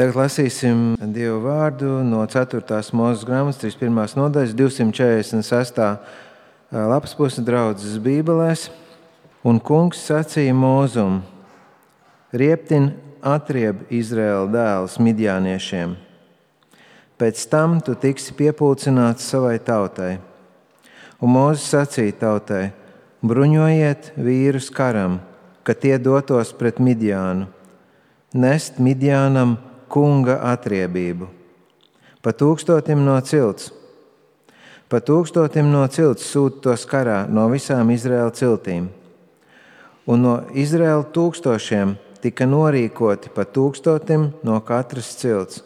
Tagad lasīsim Dievu vārdu no 4. Mūzes grāmatas 31. nodaļas 246. lapas puses draudzes bībelēs. Un kungs sacīja Mūzum: rieptin atrieb Izraēla dēlus midjāniešiem. Pēc tam tu tiksi piepulcināts savai tautai. Un Mūzes sacīja tautai: bruņojiet vīrus karam, ka tie dotos pret Midjānu, nest Midjānam kunga atriebību. Pa 1000 no cilts. Pa 1000 no cilts sūta tos karā no visām Izraēla ciltīm. Un no Izraēla 1000 tika norīkoti pa 1000 no katras cilts,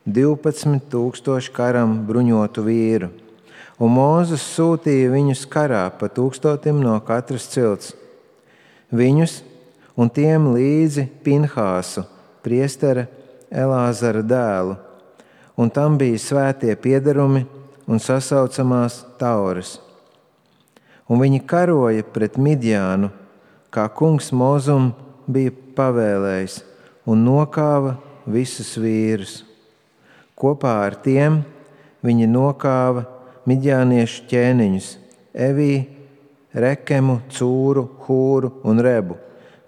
12,000 karam bruņotu vīru. Un Mūzes sūtīja viņus karā pa 1000 no katras cilts. Viņus un tiem līdzi Pinhāsu, priestera Elāzara dēlu, un tam bija svētie piederumi un sasaucamās tauras. Un viņi karoja pret Midjānu, kā kungs Mūzum bija pavēlējis, un nokāva visus vīrus. Kopā ar tiem viņi nokāva midjāniešu ķēniņus Evī, Rekemu, Cūru, Hūru un Rebu,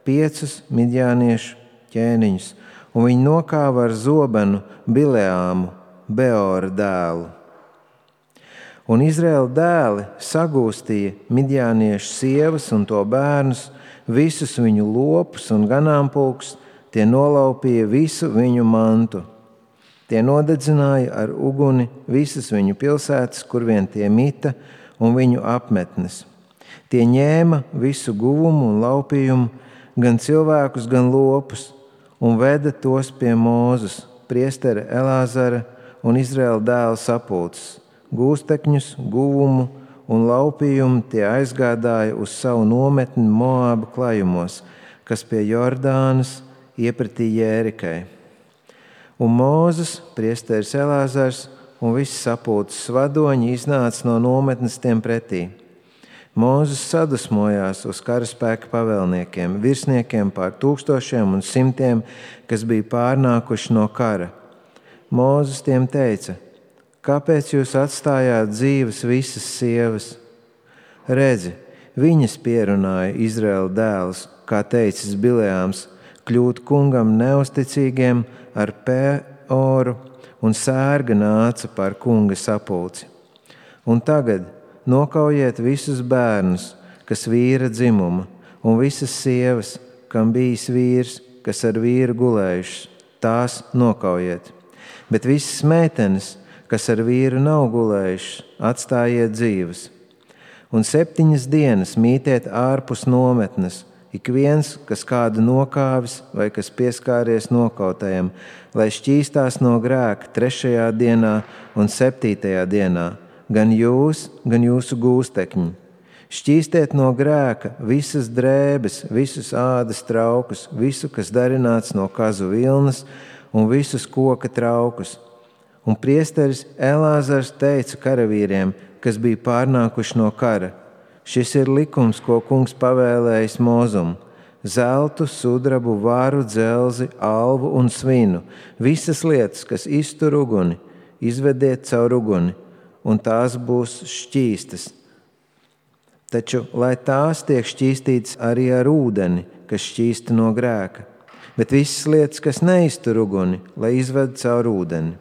5 midjāniešu ķēniņus, un viņi nokāva ar zobenu Bileāmu, Beora dēlu. Un Izraēla dēli sagūstīja midjāniešu sievas un to bērnus, visus viņu lopus un ganāmpulkus, tie nolaupīja visu viņu mantu. Tie nodedzināja ar uguni visas viņu pilsētas, kur vien tie mita, un viņu apmetnes. Tie ņēma visu guvumu un laupījumu, gan cilvēkus, gan lopus, un veda tos pie Mūzes, priestera Elāzara un Izraēla dēla sapulces. Gūstekņus, guvumu un laupījumu tie aizgādāja uz savu nometni Moāba klajumos, kas pie Jordānas iepratī Jērikai. Un Mūzes, priesteris Elāzars un visi sapulces vadoņi iznāca no nometnes tiem pretī. Mūzes sadusmojās uz karaspēka pavēlniekiem, virsniekiem pār 1000 un 100, kas bija pārnākuši no kara. Mūzes tiem teica: kāpēc jūs atstājāt dzīves visas sievas? Redzi, viņas pierunāja Izraēla dēlus, kā teicis Bileāms, kļūt kungam neusticīgiem ar Peoru, un sērga nāca par kunga sapulci. Un tagad nokaujiet visus bērnus, kas vīra dzimuma, un visas sievas, kam bijis vīrs, kas ar vīru gulējušas, tās nokaujiet. Bet visas meitenes, kas ar vīru nav gulējušas, atstājiet dzīves. Un 7 dienas mītiet ārpus nometnes, ik viens, kas kādu nokāvis vai kas pieskāries nokautajam, lai šķīstās no grēka 3. dienā un 7. dienā, gan jūs, gan jūsu gūstekņi. Šķīstiet no grēka visas drēbes, visus ādas traukus, visu, kas darināts no kazu vilnas, un visus koka traukus. Un priesteris Elāzars teica karavīriem, kas bija pārnākuši no kara: šis ir likums, ko kungs pavēlējis Mūzum: zeltu, sudrabu, varu, dzelzi, alvu un svinu, visas lietas, kas iztur uguni, izvediet caur uguni, un tās būs šķīstas. Taču, lai tās tiek šķīstītas arī ar ūdeni, kas šķīsta no grēka, bet visas lietas, kas neiztur uguni, lai izved caur ūdeni.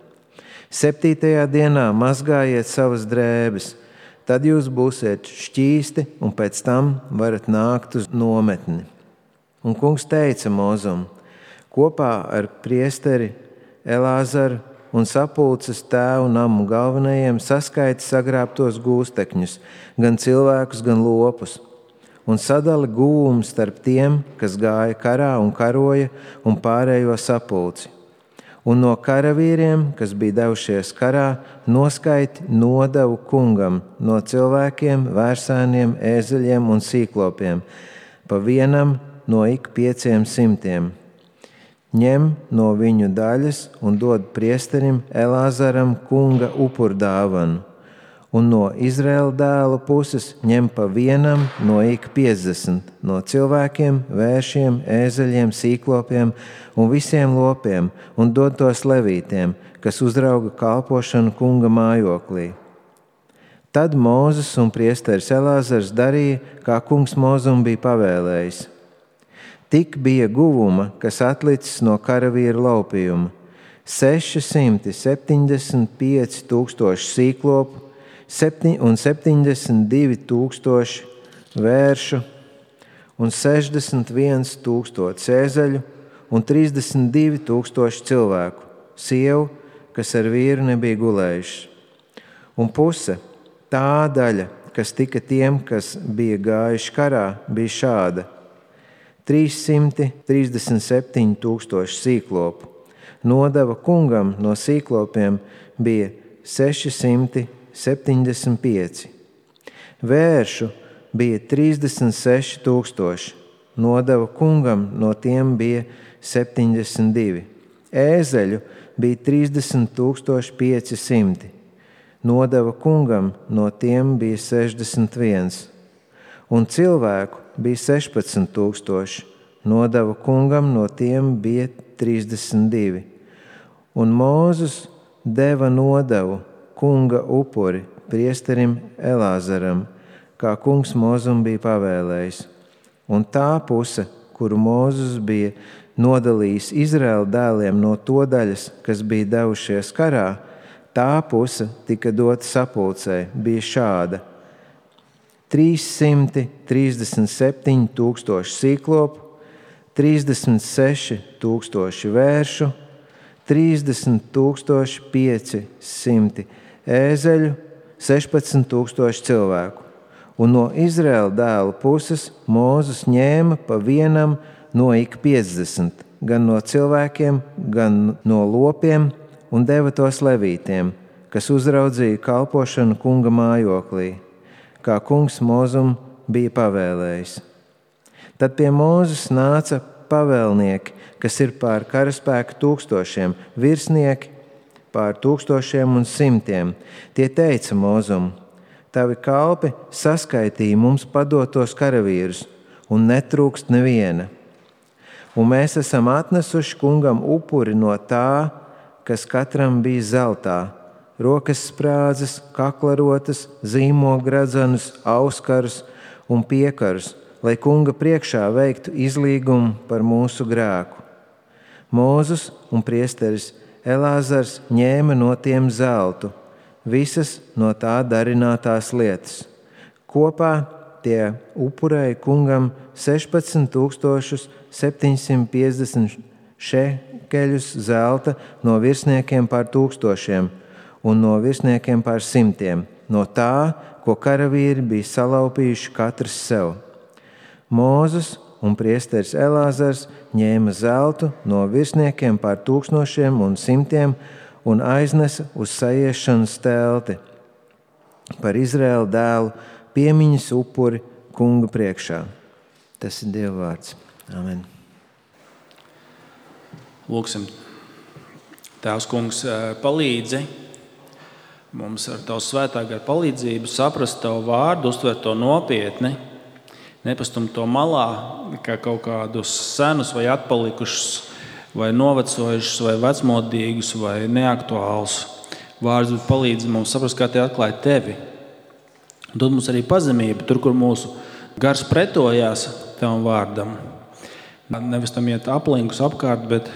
7. dienā mazgājiet savas drēbes, tad jūs būsiet šķīsti, un pēc tam varat nākt uz nometni. Un kungs teica Mūzum: kopā ar priesteri Elāzaru un sapulces tēvu namu galvenajiem saskaiti sagrābtos gūstekņus, gan cilvēkus, gan lopus, un sadali guvumu starp tiem, kas gāja karā un karoja, un pārējo sapulci. Un no karavīriem, kas bija devušies karā, noskaiti nodevu kungam no cilvēkiem, vērsāniem, ēzeļiem un sīklopiem, pa vienam no ik 500. Ņem no viņu daļas un dod priesterim Elāzaram kunga upurdāvanu, un no Izraēla dēlu puses ņem pa vienam no ik 50, no cilvēkiem, vēršiem, ēzeļiem, sīklopiem un visiem lopiem, un dod tos levītiem, kas uzrauga kalpošanu kunga mājoklī. Tad Mūzes un priesteris Elāzars darīja, kā kungs Mūzum bija pavēlējis. Tik bija guvuma, kas atlicis no karavīra laupījuma, 675 tūkstoši sīklopu un 72 tūkstoši vēršu un 61 tūkstoši ēzeļu un 32 tūkstoši cilvēku, sievu, kas ar vīru nebija gulējuši. Un puse, tā daļa, kas tika tiem, kas bija gājuši karā, bija šāda: 337 tūkstoši sīklopu. Nodeva kungam no sīklopiem bija 675. Vēršu bija 36 tūkstoši. Nodeva kungam no tiem bija 72. Ēzeļu bija 30 500. Nodeva kungam no tiem bija 61. Un cilvēku bija 16 tūkstoši. Nodeva kungam no tiem bija 32. Un Mūzes deva nodevu kunga upuri priesterim Elāzaram, kā kungs Mūzum bija pavēlējis. Un tā puse, kuru Mūzes bija nodalījis Izraēla dēliem no to daļas, kas bija devušies karā, tā puse tika dota sapulcei, bija šāda: 337 tūkstoši sīklopu, 36 tūkstoši vēršu, 30 500 ēzeļu, 16 tūkstoši cilvēku. Un no Izraēla dēlu puses Mūzes ņēma pa vienam no ik 50, gan no cilvēkiem, gan no lopiem, un deva tos levītiem, kas uzraudzīja kalpošanu kunga mājoklī, kā kungs Mūzum bija pavēlējis. Tad pie Mūzes nāca pavēlnieki, kas ir pār karaspēku tūkstošiem, virsnieki pār tūkstošiem un simtiem. Tie teica Mūzum: tavi kalpi saskaitīja mums padotos karavīrus, un netrūkst neviena. Un mēs esam atnesuši kungam upuri no tā, kas katram bija zeltā, rokas sprādzes, kaklarotas, zīmogradzenus, auskarus un piekarus, lai kunga priekšā veiktu izlīgumu par mūsu grēku. Mūzes un priesteris Elāzars ņēma no tiem zeltu, visas no tā darinātās lietas. Kopā tie upurēja kungam 16 750 šekeļus zelta no virsniekiem pār tūkstošiem un no virsniekiem pār simtiem, no tā, ko karavīri bija salaupījuši katrs sev. Mūzes un priesteris Elāzars ņēma zeltu no virsniekiem pār tūkstošiem un simtiem un aiznesa uz sajiešanas telti par Izraēla dēlu piemiņas upuri kunga priekšā. Tas ir Dieva vārds. Amen. Lūksim. Tēvs kungs, palīdzi mums ar tavu svētā gara palīdzību saprast tavu vārdu, uztvert to nopietni, nepastumt to malā kā kaut kādus senus vai atpalikušus, vai novecojušus, vai vecmodīgus, vai neaktuālus vārdus, bet palīdzi mums saprast, kā tie atklāja tevi. Dod mums arī pazemību tur, kur mūsu gars pretojās tavam vārdam. Nevis tam iet aplinkus apkārt, bet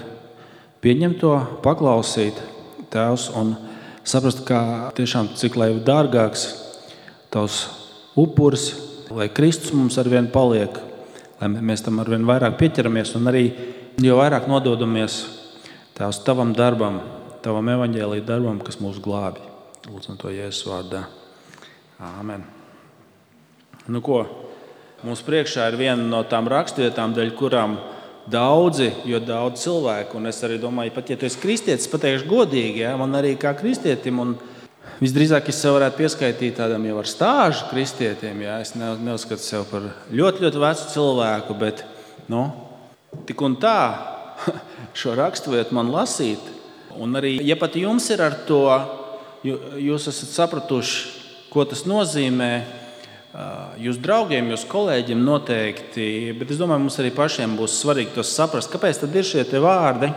pieņemt to, paklausīt, Tēvs, un saprast, kā tiešām cik lai dārgāks tavs upuris, lai Kristus mums arvien paliek, lai mēs tam arvien vairāk pieķeramies un arī jo vairāk nododamies Tēvs tavam darbam, tavam evaņģēlija darbam, kas mūs glābi. Lūdzam to Jēzus vārdā. Āmen. Nu ko, mums priekšā ir viena no tām rakstvietām, dēļ kurām daudz cilvēku, un es arī domāju, pat ja tu esi kristietis, pateikšu godīgi, ja, man arī kā kristietim, un visdrīzāk es sev varētu pieskaitīt tādam jau ar stāžu kristietim, ja, es neuzskatu sev par ļoti, ļoti vecu cilvēku, bet, tik un tā šo raksturvietu man lasīt, un arī, ja pat jums ir ar to, jūs esat sapratuši, ko tas nozīmē jūsu draugiem, jūsu kolēģiem noteikti, bet es domāju, mums arī pašiem būs svarīgi tos saprast, kāpēc tad ir šie te vārdi,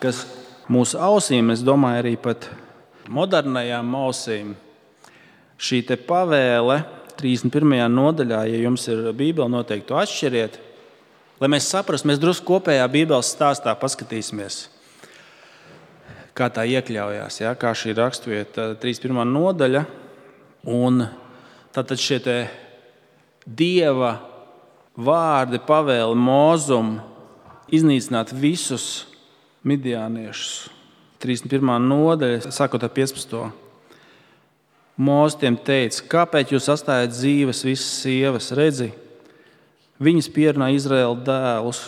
kas mūsu ausīm, es domāju, arī pat modernajām ausīm, šī te pavēle 31. nodaļā, ja jums ir Bībele, noteikti to atšķiriet, lai mēs saprastu, mēs drusku kopējā Bībeles stāstā paskatīsimies, kā tā iekļaujās, ja? Kā šī raksturvieta 31. nodaļa, un tātad šie te Dieva vārdi pavēle Mozum iznīcināt visus midjāniešus. 31. nodaļa, sākot ar 15. Mozus tiem teica, kāpēc jūs atstājat dzīves visas sievas? Redzi, viņas pierunā Izraēla dēlus.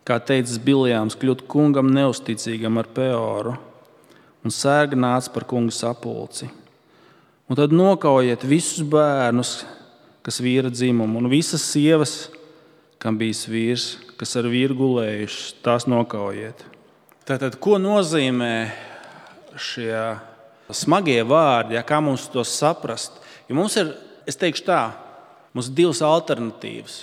Kā teicis Biljāms, kļūt kungam neusticīgam ar Peoru un sērga nāca par kunga sapulci. Un tad nokaujiet visus bērnus, kas vīra dzimumu, un visas sievas, kam bijis vīrs, kas ar vīru gulējušas, tās nokaujiet. Tātad, ko nozīmē šie smagie vārdi, ja, kā mums to saprast? Jo mums ir, es teikšu tā, mums ir divas alternatīvas.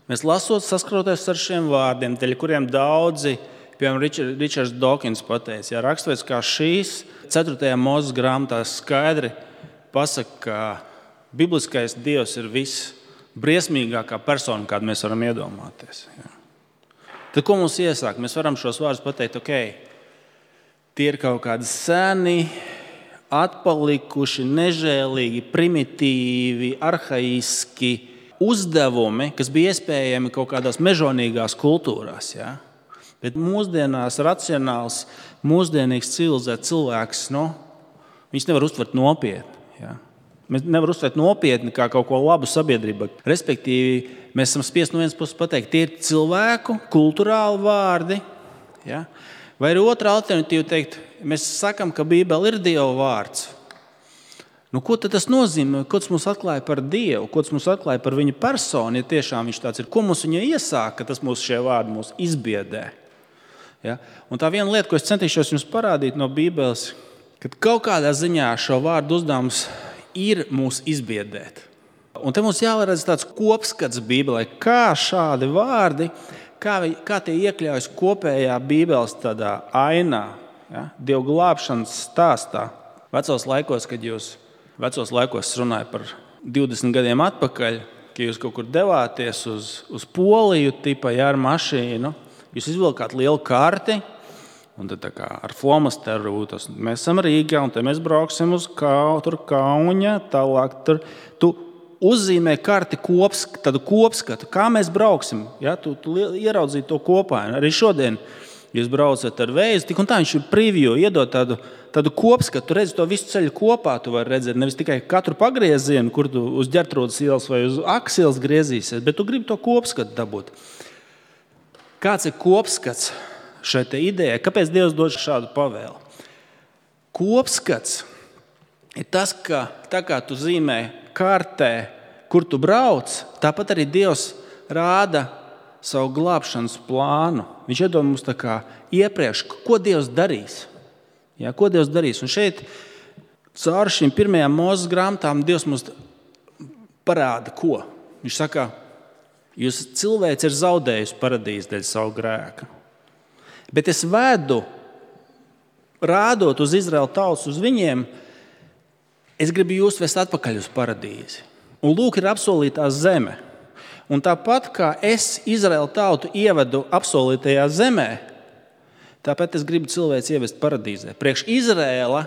Mēs lasot, saskroties ar šiem vārdiem, dēļ kuriem daudzi, piemēram, Ričards Dawkins pateica, ja raksturvietas kā šīs 4. Mūzes grāmatā skaidri pasaka, ka bibliskais Dievs ir visbriesmīgākā persona, kādu mēs varam iedomāties. Ja. Tad, ko mums iesāk? Mēs varam šos vārdus pateikt, tie ir kaut kādi seni, atpalikuši, nežēlīgi, primitīvi, arhaiski uzdevumi, kas bija iespējami kaut kādās mežonīgās kultūrās. Ja. Bet mūsdienās racionāls, mūsdienīgs civilizēts cilvēks, viņš nevar uztvert nopietni. Ja. Mēs nevaram uztvert nopietni kā kaut ko labu sabiedrībai. Respektīvi, mēs esam spiest no vienas puses pateikt, tie ir cilvēku, kulturāli vārdi. Ja. Vai ir otra alternatīva teikt, mēs sakam, ka Bībele ir Dieva vārds. Ko tad tas nozīmē? Ko tas mums atklāja par Dievu? Ko tas mums atklāja par viņa personu, ja tiešām viņš tāds ir? Ko mums viņa iesāka, ka tas mūs šie vārdi mūs izbiedē? Ja. Un tā viena lieta, ko es centīšos jums parādīt no Bībeles, kad kaut kādā ziņā šo vārdu uzdevums ir mūs izbiedēt. Un te mums jāredz tāds kopskats Bībelē, kā šādi vārdi, kā tie iekļaujas kopējā Bībeles tādā ainā, ja? Dieva glābšanas stāstā. Vecos laikos runāju par 20 gadiem atpakaļ, ka jūs kaut kur devāties uz Poliju tipa, ja, ar mašīnu, jūs izvilkāt lielu karti, un tad ar flomasteru mēs esam Rīgā, un te mēs brauksim uz Kauņa, tālāk tur. Tu uzzīmē karti tādu kopskatu, kā mēs brauksim. Ja? Tu ieraudzīji to kopā. Arī šodien jūs braucat ar Vēju, tik un tā viņš ir preview, iedod tādu kopskatu. Tu redzi to visu ceļu kopā, tu vari redzēt nevis tikai katru pagriezienu, kur tu uz Ģertrūdas ielas vai uz Akas ielas griezīsies, bet tu gribi to kopskatu dabūt. Kāds ir kopskats šai te idejai? Kāpēc Dievs dod šādu pavēli? Kopskats ir tas, ka tā kā tu zīmē kartē, kur tu brauc, tāpat arī Dievs rāda savu glābšanas plānu. Viņš iedod mums tā kā iepriekš, ko Dievs darīs. Ja, ko Dievs darīs? Un šeit caur šīm 1. Mūzes grāmatām Dievs mums parāda, ko. Viņš saka, jūs cilvēks ir zaudējusi paradīzi dēļ savu grēku. Bet es vedu, rādot uz Izraēlu tautas, uz viņiem, es gribu jūs vest atpakaļ uz paradīzi. Un lūk, ir apsolītā zeme. Un tāpat kā es Izraēlu tautu ievedu apsolītajā zemē, tāpēc es gribu cilvēks ievest paradīzē. Priekš Izraēla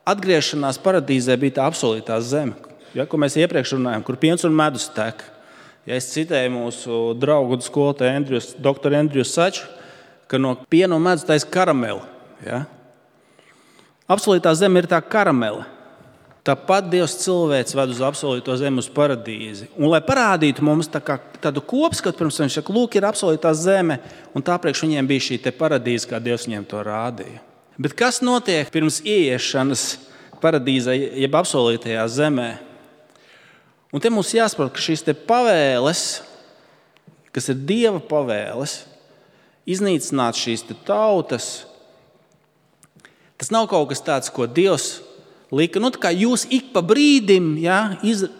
atgriešanās paradīzē bija tā apsolītā zeme, ja, ko mēs iepriekš runājām, kur piens un medus tek. Ja es citēju mūsu draugu skolotāju doktoru Andriju Saču, ka no piena un medus taisa karameli. Ja. Apsolītā zeme ir tā karamele. Tāpat Dievs cilvēks ved uz apsolīto zemi, uz paradīzi. Un, lai parādītu mums tādu kopskatu, pirms viņš saka, lūk, ir apsolītā zeme, un tāpriekš viņiem bija šī te paradīze, kā Dievs viņiem to rādīja. Bet kas notiek pirms ieiešanas paradīzē, jeb apsolītajā zemē? Un te mums jāsaprot, ka šīs te pavēles, kas ir Dieva pavēles, iznīcināt šīs te tautas, tas nav kaut kas tāds, ko Dievs lika, tā kā jūs ik pa brīdim, ja,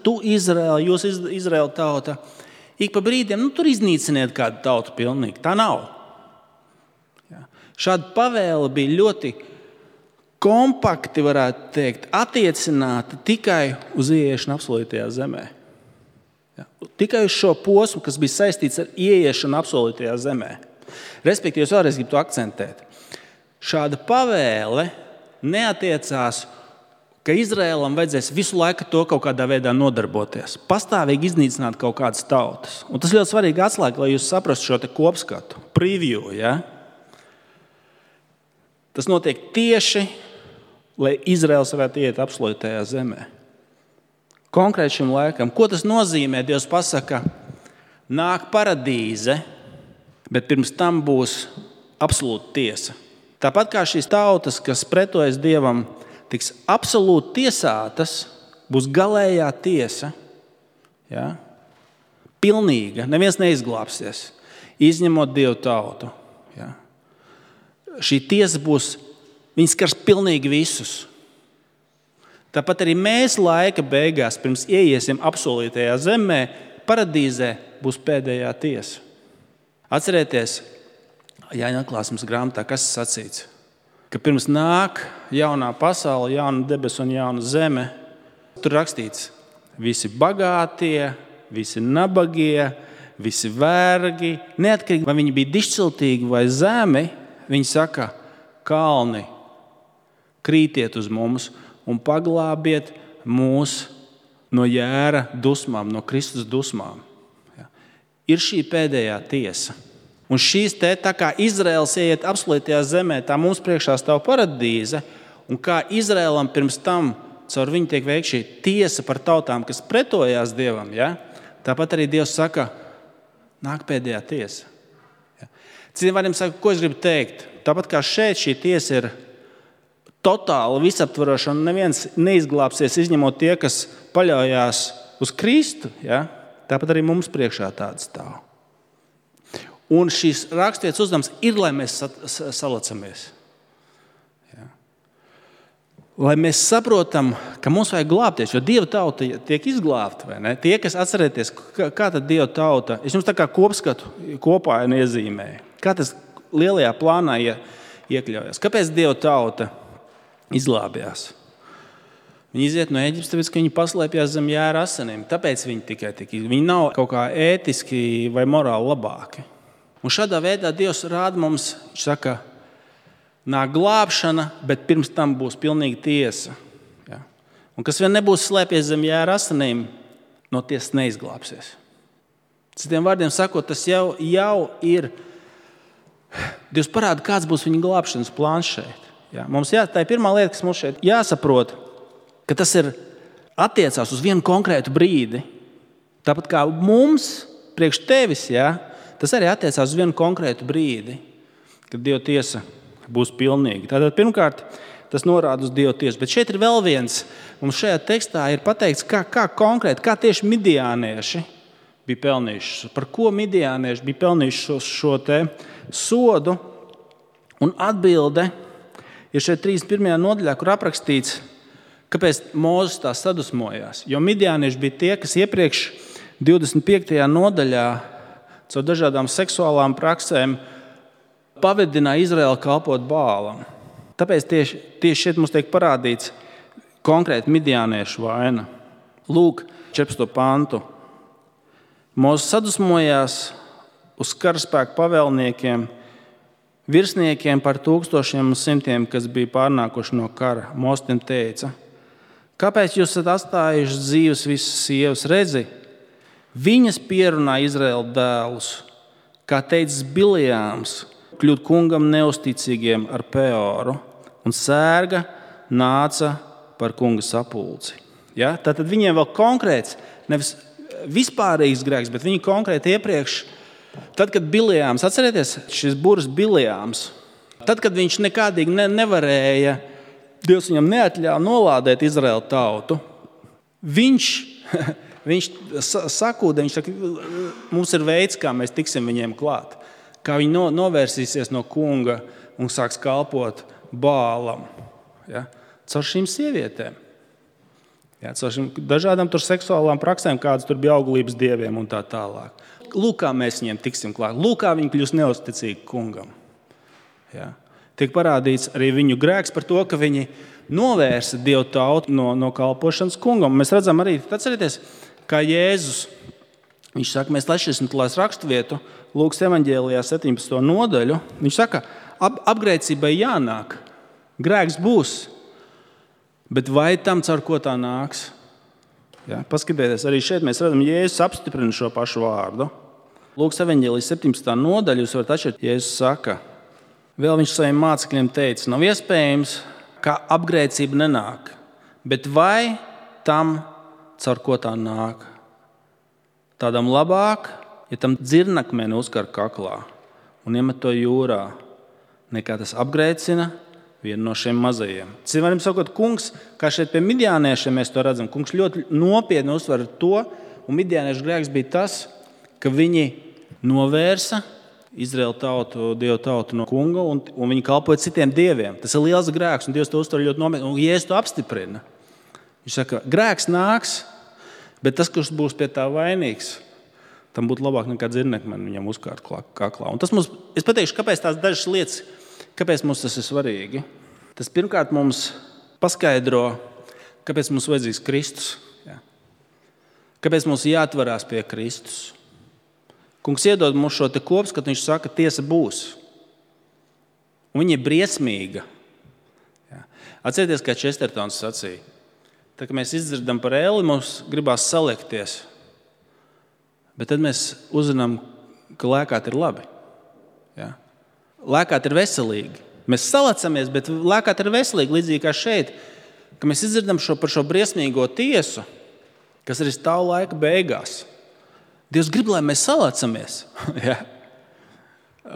tu Izraēla, jūs Izraēla tauta, ik pa brīdim, tur iznīciniet kādu tautu pilnīgi. Tā nav. Ja. Šāda pavēle bija ļoti kompakti, varētu teikt, attiecināta tikai uz ieiešanu apsolītajā zemē. Ja. Tikai uz šo posmu, kas bija saistīts ar ieiešanu apsolītajā zemē. Respektīvi, es vēlreiz gribu to akcentēt. Šāda pavēle neatiecās, ka Izraēlam vajadzēs visu laiku to kaut kādā veidā nodarboties. Pastāvīgi iznīcināt kaut kādas tautas. Un tas ļoti svarīgi atslēga, lai jūs saprastu šo te kopskatu, preview. Ja? Tas notiek tieši, lai Izraēls varētu iet apsolītajā zemē. Konkrēti šim laikam. Ko tas nozīmē? Dievs pasaka, nāk paradīze, bet pirms tam būs absolūta tiesa. Tāpat kā šīs tautas, kas pretojas Dievam, tiks absolūti tiesātas, būs galējā tiesa. Ja? Pilnīga, neviens neizglābsies, izņemot Dievu tautu. Ja? Šī tiesa būs, viņi skars pilnīgi visus. Tāpat arī mēs laika beigās, pirms ieiesim apsolītajā zemē, paradīzē būs pēdējā tiesa. Atcerieties, Jāņa atklāsmes grāmatā, kas sacīts? Ka pirms nāk jaunā pasaule, jauna debesu un jauna zeme, tur rakstīts, visi bagātie, visi nabagie, visi vergi, neatkarīgi, vai viņi bija dišciltīgi vai zemi, viņi saka, kalni, krītiet uz mums un paglābiet mūs no jēra dusmām, no Kristus dusmām. Ja. Ir šī pēdējā tiesa. Un šīs tā kā Izraēls ieiet apsolītajā zemē, tā mums priekšā stāv paradīze, un kā Izraēlam pirms tam caur viņu tiek veikta šī tiesa par tautām, kas pretojās Dievam, ja? Tāpat arī Dievs saka, nāk pēdējā tiesa. Ja? Citiem vārdiem saka, ko es gribu teikt? Tāpat kā šeit šī tiesa ir totāli visaptvaroša, un neviens neizglābsies, izņemot tie, kas paļaujās uz Kristu, ja? Tāpat arī mums priekšā tāds stāv. Un šīs raksturvietas uzdevums ir, lai mēs salacamies. Ja. Lai mēs saprotam, ka mums vajag glābties, jo Dieva tauta tiek izglābta, vai ne? Tie, kas atcerieties, kā tad Dieva tauta, es jums tā kā kopskatu kopā iezīmēju, kā tas lielajā plānā iekļaujas. Kāpēc Dieva tauta izglābjās? Viņi iziet no Ēģiptes, tāpēc, ka viņi paslēpjās zem jēra asinīm. Tāpēc viņi tikai viņi nav kaut kā ētiski vai morāli labāki. Un šādā veidā Dievs rāda mums, viņš saka, nāk glābšana, bet pirms tam būs pilnīga tiesa. Ja? Un kas vien nebūs slēpies zem jēra asinīm, no tiesas neizglābsies. Citiem vārdiem sakot, tas jau ir, Dievs parāda, kāds būs viņa glābšanas plāns šeit. Ja? Tā ir pirmā lieta, kas mums šeit jāsaprot, ka tas ir attiecās uz vienu konkrētu brīdi. Tāpat kā mums, priekš tevis, ja? Tas arī attiecās uz vienu konkrētu brīdi, kad Dieva tiesa būs pilnīga. Tātad pirmkārt, tas norāda uz Dieva tiesu. Bet šeit ir vēl viens. Mums šajā tekstā ir pateikts, kā konkrēti, kā tieši midijānieši bija pelnījuši. Par ko midijānieši bija pelnījuši šo te sodu. Un atbilde ir šeit 31. nodaļā, kur aprakstīts, kāpēc Mūzes tā sadusmojās. Jo midijānieši bija tie, kas iepriekš 25. nodaļā caur dažādām seksuālām praksēm pavedināja Izraēlu kalpot Bālam. Tāpēc tieši šeit mums tiek parādīts konkrēti midijāniešu vaina. Lūk, 14. pantu. Mūzes sadusmojās uz karaspēku pavēlniekiem, virsniekiem par 1000 un 100, kas bija pārnākuši no kara. Mūzes tiem teica, kāpēc jūs esat atstājuši dzīves visas sievas? Redzi, viņas pierunā Izraēla dēlus, kā teicis Biljāms, kļūt kungam neusticīgiem ar Peoru, un sērga nāca par kunga sapulci. Ja? Tātad viņiem vēl konkrēts, nevis vispārīgs grēks, bet viņi konkrēti iepriekš, tad, kad Biljāms, atcerieties, šis burts Biljāms, tad, kad viņš nekādīgi nevarēja, Dievs viņam neatļāva nolādēt Izraēlu tautu, Viņš sakūda, viņš saka, mums ir veids, kā mēs tiksim viņiem klāt. Kā viņi novērsīsies no kunga un sāks kalpot Bālam. Ja? Caur šīm sievietēm. Jā, dažādām tur seksuālām praksēm, kādas tur bija auglības dieviem un tā tālāk. Lūk, kā mēs viņiem tiksim klāt. Lūk, kā viņi kļūst neusticīgi kungam. Jā. Tiek parādīts arī viņu grēks par to, ka viņi novērsa Dievu tautu no kalpošanas kungam. Mēs redzam arī, atcerieties, kā Jēzus, viņš saka, mēs lasīsim raksturvietu, Lūkas evaņģēlijā 17. nodaļu. Viņš saka, apgrēcībai jānāk, grēks būs. Bet vai tam caur ko tā nāks? Ja, paskatieties, arī šeit mēs redzam, Jēzus apstiprina šo pašu vārdu. Lūkas evaņģēlijas 17. nodaļa, jūs varat atšķirt, Jēzus saka, vēl viņš saviem mācekļiem teica, nav iespējams, ka apgrēcība nenāk, bet vai tam caur ko tā nāk? Tādam labāk, ja tam dzirnakmeni uzkar kaklā un iemet to jūrā, nekā tas apgrēcina vienu no šiem mazajiem. Citiem sakot, kungs, kā šeit pie midjāniešiem mēs to redzam, kungs ļoti nopietni uzsver to, un midjāniešu grēks bija tas, ka viņi novērsa Izraēlu tautu, Dievu tautu no kunga, un viņi kalpoja citiem dieviem. Tas ir liels grēks, un Dievs to uztver ļoti nopietni, un Jēzus to apstiprina. Viņš saka, grēks nāks, bet tas, kurš būs pie tā vainīgs, tam būtu labāk nekā dzirnekmeni viņam uzkārt kaklā. Un tas mums, es pateikšu, kāpēc tās dažas lietas, kāpēc mums tas ir svarīgi? Tas pirmkārt mums paskaidro, kāpēc mums vajadzīgs Kristus. Jā. Kāpēc mums jāatvarās pie Kristus. Kungs iedod mums šo te kopskatu, viņš saka, tiesa būs. Un viņa ir briesmīga. Jā. Atcerieties, kā Čestertons sacīja. Tā, kad mēs izdzirdam par Eli, mums gribās saliekties. Bet tad mēs uzzinām, ka lēkāt ir labi. Jā. Lēkāt ir veselīgi. Mēs salacamies, bet lēkāt ir veselīgi, līdzīgi kā šeit, ka mēs izdzirdam par šo briesmīgo tiesu, kas arī stāv laika beigās. Dievs grib, lai mēs salacamies. Ja?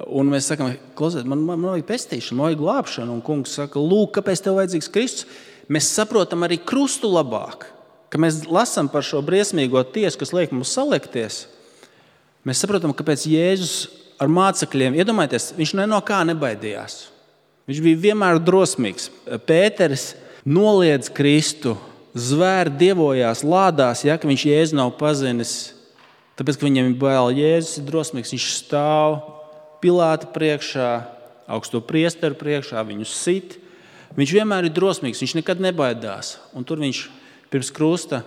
Un mēs sakam, klausiet, man vajag pestīšanu, man vajag glābšanu. Un kungs saka, lūk, kāpēc tev vajadzīgs Kristus? Mēs saprotam arī krustu labāk, ka mēs lasām par šo briesmīgo tiesu, kas liek mums saliekties. Mēs saprotam, kāpēc Jēzus ar mācekļiem, iedomājieties, viņš no kā nebaidījās. Viņš bija vienmēr drosmīgs. Pēteris noliedz Kristu, zvēri dievojās, lādās, ja, ka viņš Jēzu nav pazinis. Tāpēc, ka viņam ir bail, Jēzus ir drosmīgs. Viņš stāv Pilāta priekšā, augsto priesteru priekšā, viņu sit. Viņš vienmēr ir drosmīgs, viņš nekad nebaidās. Un tur viņš pirms krusta,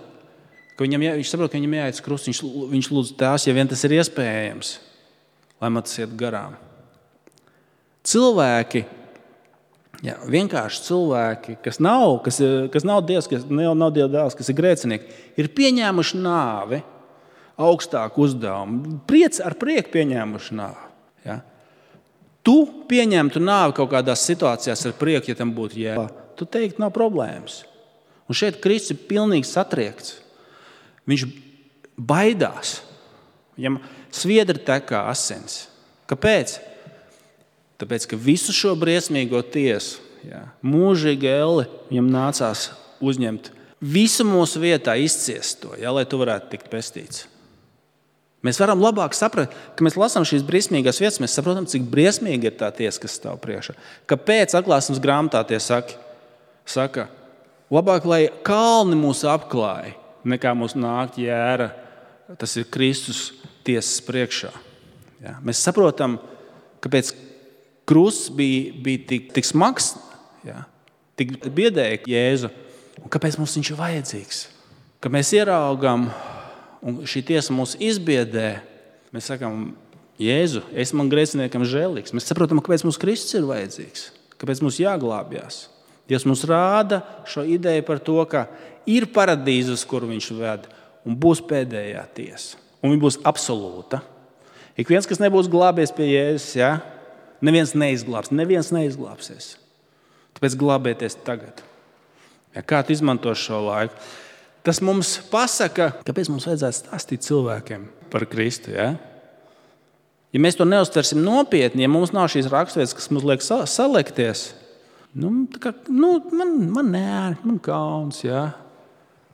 viņš saprot, ka viņam jāiet uz krustu, viņš lūdz tās, ja vien tas ir iespējams, lai man tas iet garām. Cilvēki, vienkārši cilvēki, kas nav Dievs, kas nav Dieva dēls, kas ir grēcinieki, ir pieņēmuši nāvi, augstāku uzdevumu, ar prieku pieņēmuši nāvi. Ja? Tu pieņemtu nāvi kaut kādās situācijās ar prieku, ja tam būtu jēga. Tu teiktu, nav problēmas. Un šeit Kristus ir pilnīgi satriekts. Viņš baidās. Viņam sviedri tekā asins. Kāpēc? Tāpēc, ka visu šo briesmīgo tiesu, mūžīgi Elli, viņam nācās uzņemt visu mūsu vietā, izciest to, lai tu varētu tikt pestīts. Mēs varam labāk saprast, ka mēs lasām šīs briesmīgās vietas, mēs saprotam, cik briesmīgi ir tā tiesa, kas stāv priekšā. Kāpēc atklāsmes grāmatā tie saka, labāk, lai kalni mūs apklāj, nekā mūs nākt jēra, tas ir Kristus tiesas priekšā. Ja? Mēs saprotam, kāpēc krusts bija tik smags, tik biedēja Jēzu, un kāpēc mums viņš ir vajadzīgs. Kad mēs ieraugam, un šī tiesa mūs izbiedē, mēs sakām, Jēzu, es man grēciniekam žēlīgs. Mēs saprotam, kāpēc mums Kristus ir vajadzīgs, kāpēc mums jāglābjās. Dievs mums rāda šo ideju par to, ka ir paradīze, uz kuru viņš ved, un būs pēdējā tiesa. Un viņa būs absolūta. Ik viens, kas nebūs glābies pie Jēzus, neviens neizglābsies. Tāpēc glābieties tagad. Kā tu izmanto šo laiku? Tas mums pasaka, kāpēc mums vajadzētu stāstīt cilvēkiem par Kristu. Ja mēs to neuztversim nopietni, ja mums nav šīs raksturvietas, kas mums liek salekties, man kauns.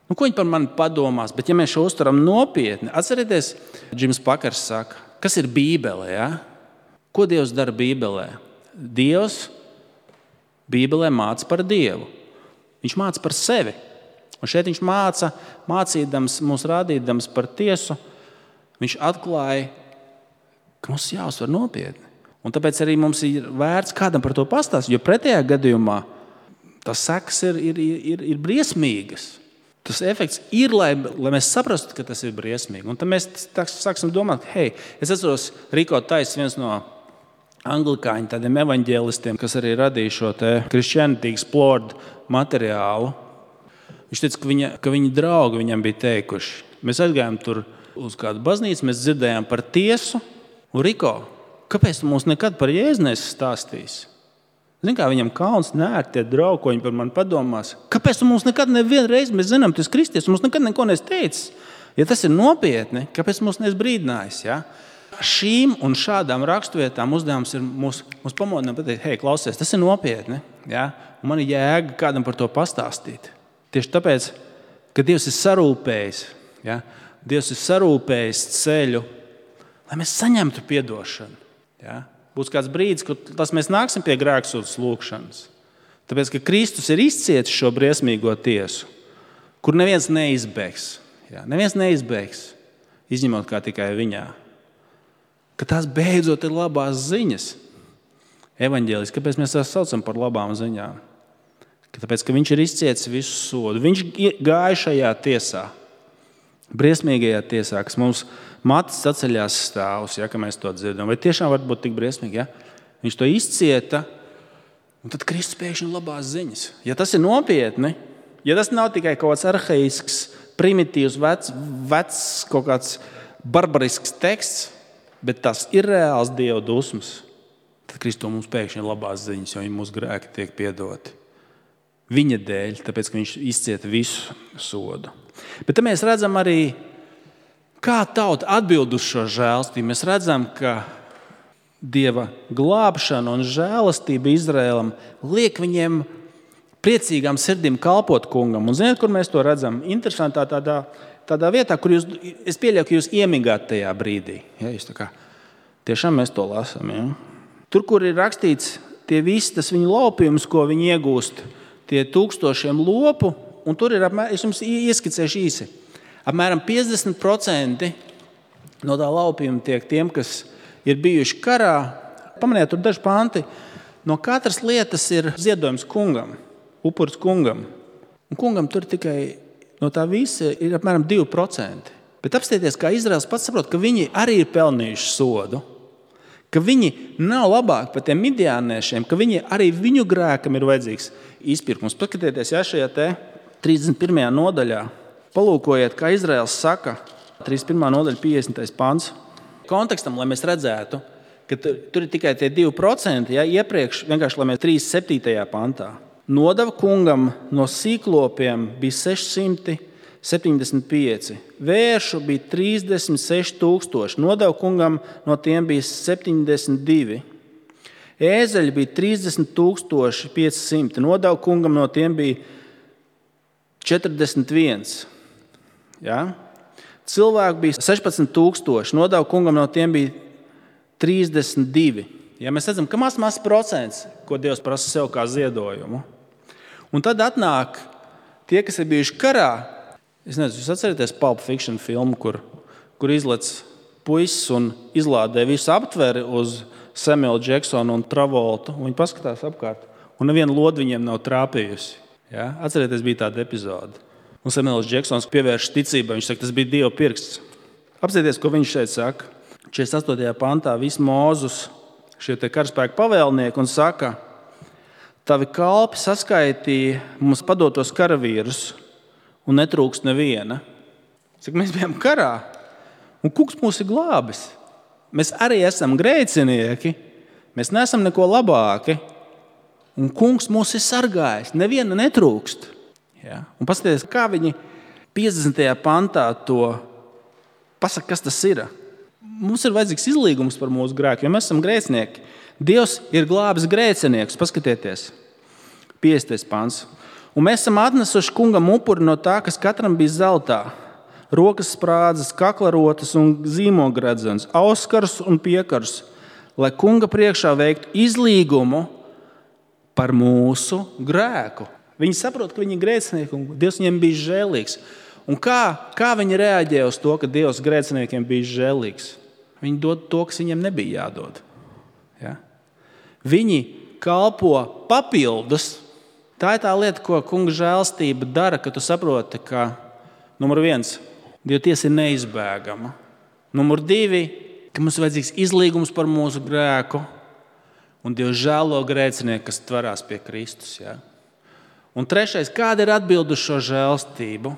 Ko viņi par mani padomās? Bet ja mēs šo uztveram nopietni, atcerieties, Džims Pakers saka, kas ir Bībele? Ja? Ko Dievs dara Bībelē? Dievs Bībelē māca par Dievu. Viņš māca par sevi. Un šeit viņš mācīdams, mums rādīdams par tiesu, viņš atklāja, ka mums jāuztver nopietni. Un tāpēc arī mums ir vērts kādam par to pastāstīt, jo pretējā gadījumā tas sekas ir briesmīgas. Tas efekts ir, lai mēs saprastu, ka tas ir briesmīgi. Un tad mēs sāksim domāt, es atceros Riko Tais, viens no anglikāņu tādiem evaņģēlistiem, kas arī radīja šo Christianity Explored materiālu. Viņš teica, ka viņa draugi viņam bija teikuši. Mēs aizgājām tur uz kādu baznīcu, mēs dzirdējām par tiesu. Un Riko, kāpēc tu mums nekad par Jēzu nesi stāstījis? Zini, kā viņam kauns nērt tie draugi, ko viņi par mani padomās. Kāpēc tu mums nekad nevienreiz, mēs zinām, tu esi kristies, mums nekad neko nesi teicis? Ja tas ir nopietni, kāpēc mums nesi brīdinājis? Ja? Šīm un šādām raksturvietām uzdevums ir mūs pamodināt pateikt, klausies, tas ir nopietni. Ja? Un man ir jēga kādam par to pastāstīt. Tieši tāpēc, ka Dievs ir sarūpējis. Ja? Dievs ir sarūpējis ceļu, lai mēs saņemtu piedošanu. Ja? Būs kāds brīdis, kad mēs nāksim pie grēksūdzes lūgšanas. Tāpēc, ka Kristus ir izcietis šo briesmīgo tiesu, kur neviens neizbēgs. Ja? Neviens neizbēgs, izņemot kā tikai viņā. Ka tās beidzot ir labās ziņas. Evaņģēlis, kāpēc mēs tās saucam par labām ziņām? Tāpēc, ka viņš ir izcietis visu sodu. Viņš gāja šajā tiesā, briesmīgajā tiesā, kas mums matis atceļās stāvus, ja, ka mēs to dzirdam. Vai tiešām var būt tik briesmīgi? Ja? Viņš to izcieta, un tad Kristus pēkšņi labās ziņas. Ja tas ir nopietni, ja tas nav tikai kaut kāds arhaisks, primitīvs, vecs kaut kāds barbarisks teksts, bet tas ir reāls Dieva dusmas, tad Kristus mums pēkšņi ir labās ziņas, jo mūsu grēki tiek piedoti. Viņa dēļ, tāpēc, ka viņš izcieta visu sodu. Bet te mēs redzam arī, kā tauta atbild uz šo žēlastību. Mēs redzam, ka Dieva glābšana un žēlastība Izraēlam liek viņiem priecīgām sirdīm kalpot kungam. Un ziniet, kur mēs to redzam? Interesantā tādā vietā, kur es pieļauju, ka jūs iemigāt tajā brīdī. Ja, jūs tā kā, tiešām mēs to lasām. Ja? Tur, kur ir rakstīts tie visi, tas viņu laupījums, ko viņi iegūst, tie 1000 lopu, un tur ir apmēram, es jums ieskicēšu īsi, apmēram 50% no tā laupījuma tiek tiem, kas ir bijuši karā. Pamaniet, tur daži panti. No katras lietas ir ziedojums kungam, upuris kungam. Un kungam tur tikai no tā visa ir apmēram 2%. Bet apstieties, kā Izraels pats saprot, ka viņi arī ir pelnījuši sodu, ka viņi nav labāki par tiem midiāniešiem, ka viņi arī viņu grēkam ir vajadzīgs izpirkums. Paskatieties, ja šajā te 31. nodaļā, palūkojiet, kā Izraels saka, 31. nodaļa, 50. pants. Kontekstam, lai mēs redzētu, ka tur ir tikai tie 2%, ja, iepriekš vienkārši, lai mēs 37. pantā. Nodeva kungam no sīklopiem bija 675, vēršu bija 36 000, nodeva kungam no tiem bija 72, ēzeļi bija 30 500, nodeva kungam no tiem bija 41. Ja? Cilvēku bija 16 000, nodeva kungam no tiem bija 32. Ja mēs redzam, ka maz procents, ko Dievs prasa sev kā ziedojumu. Un tad atnāk tie, kas ir bijuši karā. Es nezinu, jūs atcerieties Pulp Fiction filmu, kur izlec puisis un izlādē visu aptveri uz Samuelu Džeksonu un Travoltu. Viņi paskatās apkārt, un neviena loda viņiem nav trāpījusi. Ja? Atcerieties, bija tāda epizode. Un Samuels Džeksons pievērš ticībai. Viņš saka, tas bija Dieva pirksts. Apsieties, ko viņš šeit saka. 48. pantā viss Mūzus, šie te karaspēku pavēlnieki, un saka, tavi kalpi saskaitīja mums padotos karavīrus, un netrūkst neviena. Saka, mēs bijām karā, un kungs mūs ir glābis. Mēs arī esam grēcinieki, mēs neesam neko labāki, un kungs mūs ir sargājis, neviena netrūkst. Ja? Un paskatieties, kā viņi 50. pantā to pasaka, kas tas ir. Mums ir vajadzīgs izlīgums par mūsu grēku, jo mēs esam grēcinieki. Dievs ir glābis grēciniekus, paskatieties, 50. pants. Un mēs esam atnesuši kungam upuri no tā, kas katram bija zeltā, rokas sprādzes, kaklarotas un zīmogredzens, auskars un piekars, lai kunga priekšā veiktu izlīgumu par mūsu grēku. Viņi saprot, ka viņi ir grēcinieki, un Dievs viņiem bija žēlīgs. Un kā viņi reaģē uz to, ka Dievs grēciniekiem bija žēlīgs? Viņi dod to, kas viņiem nebija jādod. Ja? Viņi kalpo papildus. Tā ir tā lieta, ko Kunga žēlstība dara, ka tu saproti, ka numur 1, Dieva tiesa ir neizbēgama. Numur 2, ka mums ir vajadzīgs izlīgums par mūsu grēku, un Dievs žēlo grēcinieku, kas tverās pie Kristus. Ja? Un 3, kāda ir atbilde uz šo žēlstību,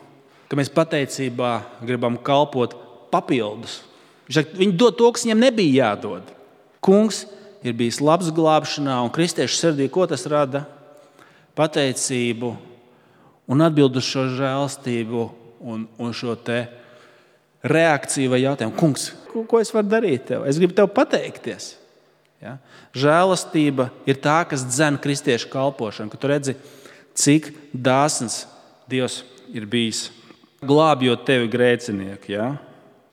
ka mēs pateicībā gribam kalpot papildus. Viņi dod to, kas viņiem nebija jādod. Kungs ir bijis labs glābšanā, un kristiešu sirdī, ko tas rada? Pateicību un atbildu uz šo žēlstību un šo te reakciju vai jautājumu. Kungs, ko es varu darīt tev? Es gribu tev pateikties. Ja? Žēlastība ir tā, kas dzen kristiešu kalpošanu, ka tu redzi, cik dāsns Dievs ir bijis, glābjot tevi grēcinieku. Ja?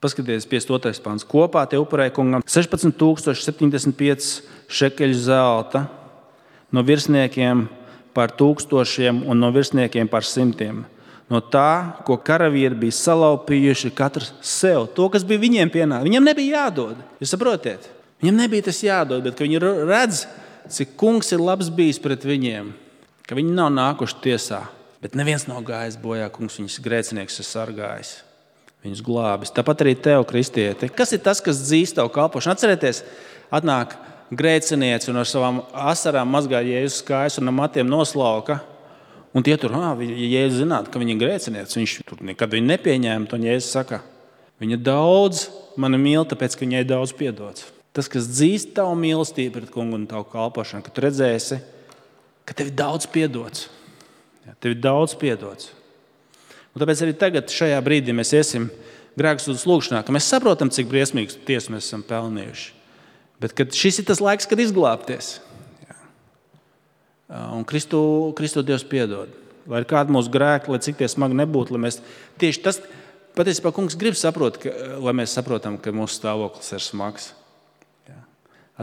Paskaties, 52. pants. Kopā te upurēja Kungam 16,075 šekeļu zelta, no virsniekiem par 1000 un no virsniekiem par 100. No tā, ko karavīri bija salaupījuši katrs sev. To, kas bija viņiem pienākums. Viņiem nebija jādod. Jūs saprotiet? Viņiem nebija tas jādod, bet viņi redz, cik Kungs ir labs bijis pret viņiem. Ka viņi nav nākuši tiesā. Bet neviens nav gājis bojā. Kungs viņus grēcinieks ir sargājis. Viņus glābis. Tāpat arī tev, kristieti. Kas ir tas, kas dzīst tavu kalpošanu? Atcerieties, atnāk grēcinieci un ar savām asarām mazgā Jēzus kājas un ar matiem noslauka. Un tie tur, Jēzus zinātu, ka viņi ir grēcinieci. Viņš tur nekad viņu nepieņēma. Un Jēzus saka, viņa daudz mani mīl, tāpēc, ka viņai daudz piedots. Tas, kas dzīst tavu mīlestību pret Kungu un tavu kalpošanu, ka tu redzēsi, ka tev ir daudz piedots. Ja, tev ir daudz piedots. Un tāpēc arī tagad šajā brīdī mēs iesim grēksūdzes lūgšanā, ka mēs saprotam, cik briesmīgas tiesas mēs esam pelnījuši. Bet kad šis ir tas laiks, kad izglābties. Ja. Un Kristu Dievs piedod. Lai ir kādi mūsu grēki, lai cik tie smagi nebūtu, lai mēs tieši tas, patiesībā Kungs grib saprot, lai mēs saprotam, ka mūsu stāvoklis ir smags. Ja.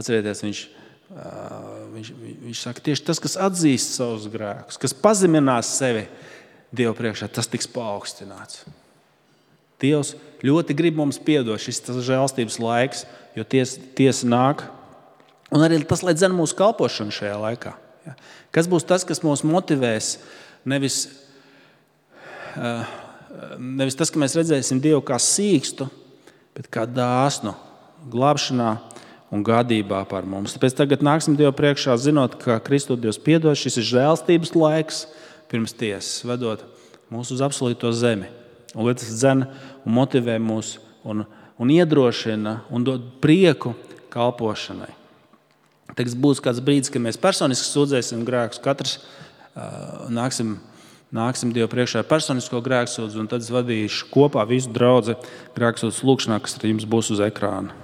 Atcerieties, viņš saka, tieši tas, kas atzīst savus grēkus, kas pazeminās sevi Dievu priekšā, tas tiks paaugstināts. Dievs ļoti grib mums piedot, šis tas žēlstības laiks, jo tiesa nāk. Un arī tas, lai dzen mūsu kalpošanu šajā laikā. Ja. Kas būs tas, kas mūs motivēs? Nevis tas, ka mēs redzēsim Dievu kā sīkstu, bet kā dāsnu glābšanā un gādībā par mums. Tāpēc tagad nāksim Dievu priekšā, zinot, ka Kristu Dievs piedod. Šis ir žēlstības laiks pirms tiesas, vedot mūs uz absolūto zemi. Un lai tas dzen un motivē mūs un iedrošina un dod prieku kalpošanai. Tagad būs kāds brīdis, kad mēs personiski sūdzēsim grēkus. Katrs nāksim Dievu priekšā ar personisko grēksūdzi, un tad es vadīšu kopā visu draudzi grēksūdzes lūgšanā, kas ar jums būs uz ekrāna.